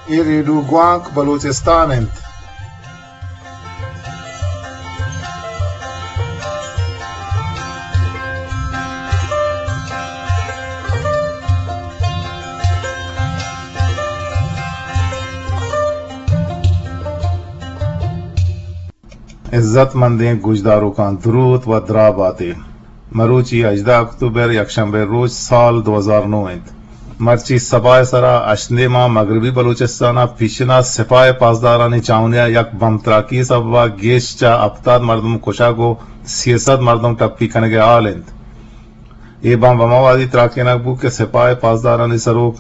اے ریڈیو گوانک بلوچستان انت۔ عزت مندیں گوشداروکاں دروت و دراہ باتے۔ مروچی ہژدہ اکتوبر، یکشنبے روچ، سال دو ہزار نو انت۔ مرچی سپاہ ءِ سرا ہشت نیماں مغربی بلوچستان ءَ پیشنا سپاہ ءِ پاسدارانی چاونی ءَ یک بمب تراکی ءِ سبب ءَ گیش چہ ہپتاد مردم کشگ و سی سد مردم ٹپی کنگ ءِ حال انت۔ اے بمب ہما وہدی تراکینگ بوت کہ سپاہ ءِ پاسدارانی سروک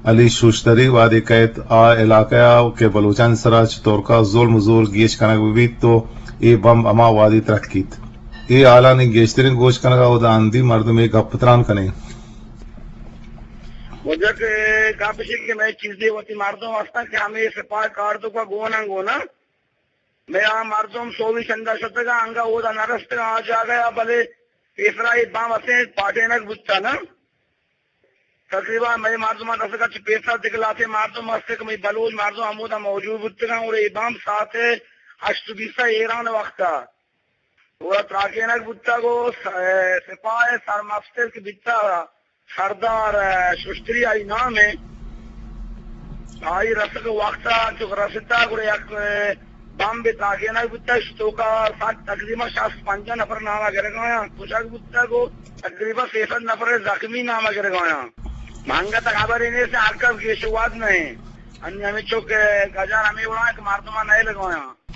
علی شوشتری وہدے کئیت آ علاقہ ءَ کہ بلوچانی سرا چہ ترک ءَ ظلم و زور گیش کنگ بہ بیت و اے بمب ہما وہدی ترکیت۔ اے حالانی گیشتریں گوش کنگ ءَ اودا ہندی مردم اے گپ ءَ تران کنیں۔ واجہ کہ گپ ایش کہ مئے چیزے وتی مردم ہستن کہ ہمے سپاہ کارتوک ءَ گون انت گون انت۔ مئے آ مردم سوبی چندا شتگاں، انگا اودا نہ رستگاں آ جاگہ ءَ، بلے پیسرا اے بام اسیں پاٹینگ بوتا نا۔ تقریباً مئے مردماں رسگا چہ پیسرا دگہ لہتے مردم است کہ مئے بلوچ مردم ہمودا موجود بوتگاں، اور اے بام ساعت ہشت بیست ءَ ایران وقتا۔ گڑا تراکینگ بوتگ و س-، سپاہ ءِ سرمستر کہ بیتگ سردار ششتری آئی نام ءَ، آئی رسگ وقت ءَ چک رستگ گڑا یک بمبے تراکینگ بوتگ، توکا ساعت تقریباً شست پنجاہ نفر نام ءَ گرگ ءَ آیاں کشگ بوتگ و تقریباً سیصد نفر زخمی نام ءَ گرگ ءَ آیاں۔ منگت خبرے نیست، ہر کس گیش و واد نہ انت۔ انی ہمے چک گجار ہمے وڑا کہ مردماں نئیلگ ءَ آیاں۔